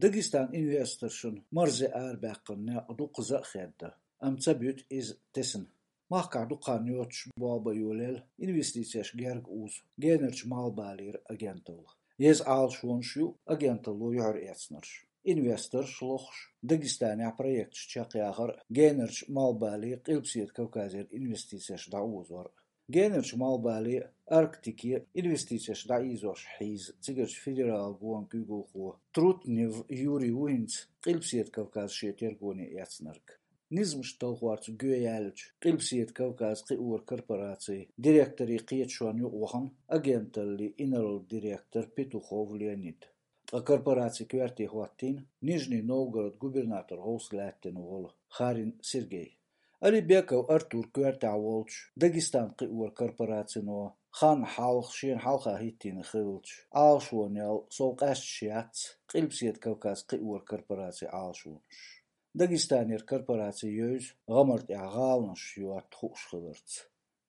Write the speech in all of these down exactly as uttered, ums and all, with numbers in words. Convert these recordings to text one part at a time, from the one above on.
Дагестан инвесторшна марзе арабаьккхина некъ дукхаза а хедда, амма ца буьту иза тесна. Махкахь дукха хан йоцуш болх бан йолаелла инвестицеш герга узу генарчу малхбалера агенталла. Еза Ӏалашонаш ю агенталло юьхьарэцнарш. Инвесторш лохуш, Дагестанехь проекташ чекхъяхар а генарчу малхбале Къилбаседа Кавказера инвестицеш дӀаозор а. Генарчу малхбале а, Арктике а инвестицеш дӀаийзош хьийза цигарчу федералан гонан куьйгалхо Трутнев Юрий ву хӀинца Къилбаседа Кавказ шен тергоне эцнарг. Низамаш талхорца гӀо яьллачу Къилбаседа Кавказ кхиоран корпорацин директорийн кхеташонна юкъа вахана агенталлин инарла директор Петухов Леонид. Ткъа корпорацин коьрте хӀоттийна Нижний Новгород губернатор гӀовс лаьттина волу Харин Сергей. Алибеков Артур коьртехь волчу Дагестан кхиоран корпорацино хан хьалха шена хьалха хӀиттийна хиллачу Ӏалашонел сов къаьсташ яц Къилбаседа Кавказ кхиоран корпорацин Ӏалашонаш. Дагестанера корпораци евза гӀамар тӀехь гӀаланаш йотта хууш хиларца.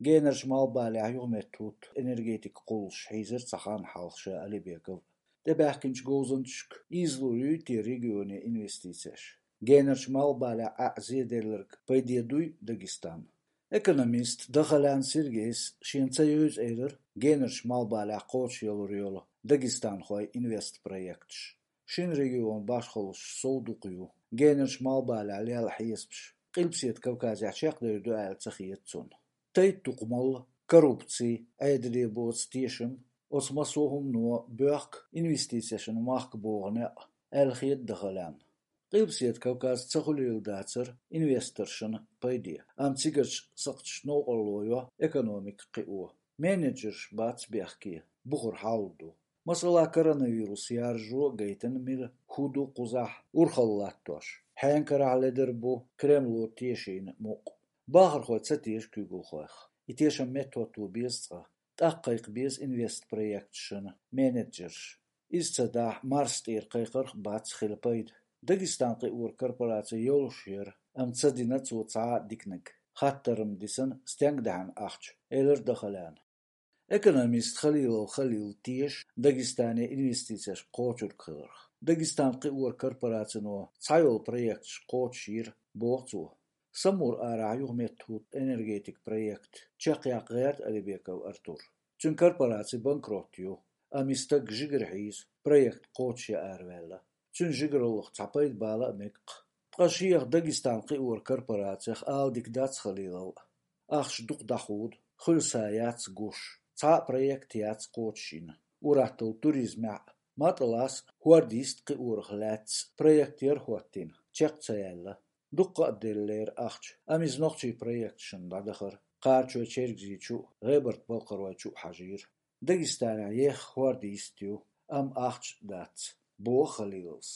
Генарчу малхбалехь юхаметтахӀутту энергетикан кхуллуш хьийзира цхьа хан хьалха ша Алибеков. ТӀебаьхкинчу говзанчашка ийзалур юй те регионе инвестицеш? Генарчу малхбалехь Ӏаьа зеделларг пайде дуй Дагестан? Экономист Дахалян Сергейс шена ца евза элира генарчу малхбалехь кхочушъялур йолу дагестанхойн инвестпроекташ. Шина регионан башхаллаш сов дукха ю. Генарчу малхбалехь лелла хьесапаш Къилбаседа Кавказехь чекхдер ду аьлла ца хета цунна. Тайп-тукхамалла, коррупци, Ӏедале боцу тешам, оцу массо а хӀумано боьхку инвестицешна махка богӀу некъ, аьлла хета Дахалянна. Къилбаседа Кавказ ца хуьлийла дацара инвесторшна пайде, амма цигарчу сакхташна новкъарло йо экономика кхио. Менеджерш бац бехке, бухара хьал ду. Масала, коронавирус яржо а гайтина мила, хӀун ду кхузахь урхалла латтош. Хьенан карахь ледара бу Кремло тешийна мукъ. Бахархой ца теша куьйгалхойх. И тешам меттахӀотто беза цкъа. ТӀаккха кхайкха беза инвестпроекташна менеджерш. Иза ца дахь, Марс тӀера кхайкхарх бац хила пайда. Дагестан кхиоран корпораци йолуш яра, амма ца дина цо цхьа а диканиг. Хаттар-м дисина, стенга даьхьна ахча, элира Дахаляна. Экономист Халилов Халил теша Дагестане инвестицеш кхочург хиларх. Дагестан кхиоран корпорацино цхьайолу проекташ кхочушйира, боху цо. Самур арахь юхаметтахӀутту энергетикан проект чекхъяккха гӀерта Алибеков Артур. Цуьнан корпораци банкрот ю, амма и стаг жигара хьийза, проект кхочушъян араваьлла. Цуьнан жигараллах цхьа пайда бала а мега-кх. Ткъа шех Дагестан кхиоран корпорацех ала дика дац Халилов. Ахча дукха дӀахьуду, хуьлу са яц гуш, цхьа а проект яц кхочушйина. Ур-атталла туризмехь а, МатӀалас а хӀордан йист кхиорах лаьцна проект яра хӀоттийна, чекх ца яьлла. Дуккха а деллера ахча, амма иза нохчийн проекташна дӀадахара, Кхарачой-Чергазийчу а, ГӀебарта-Балкхаройчу а хьажийра. Дагестанехь ехха хӀордан йист ю, амма ахча дац, боху Халиловс.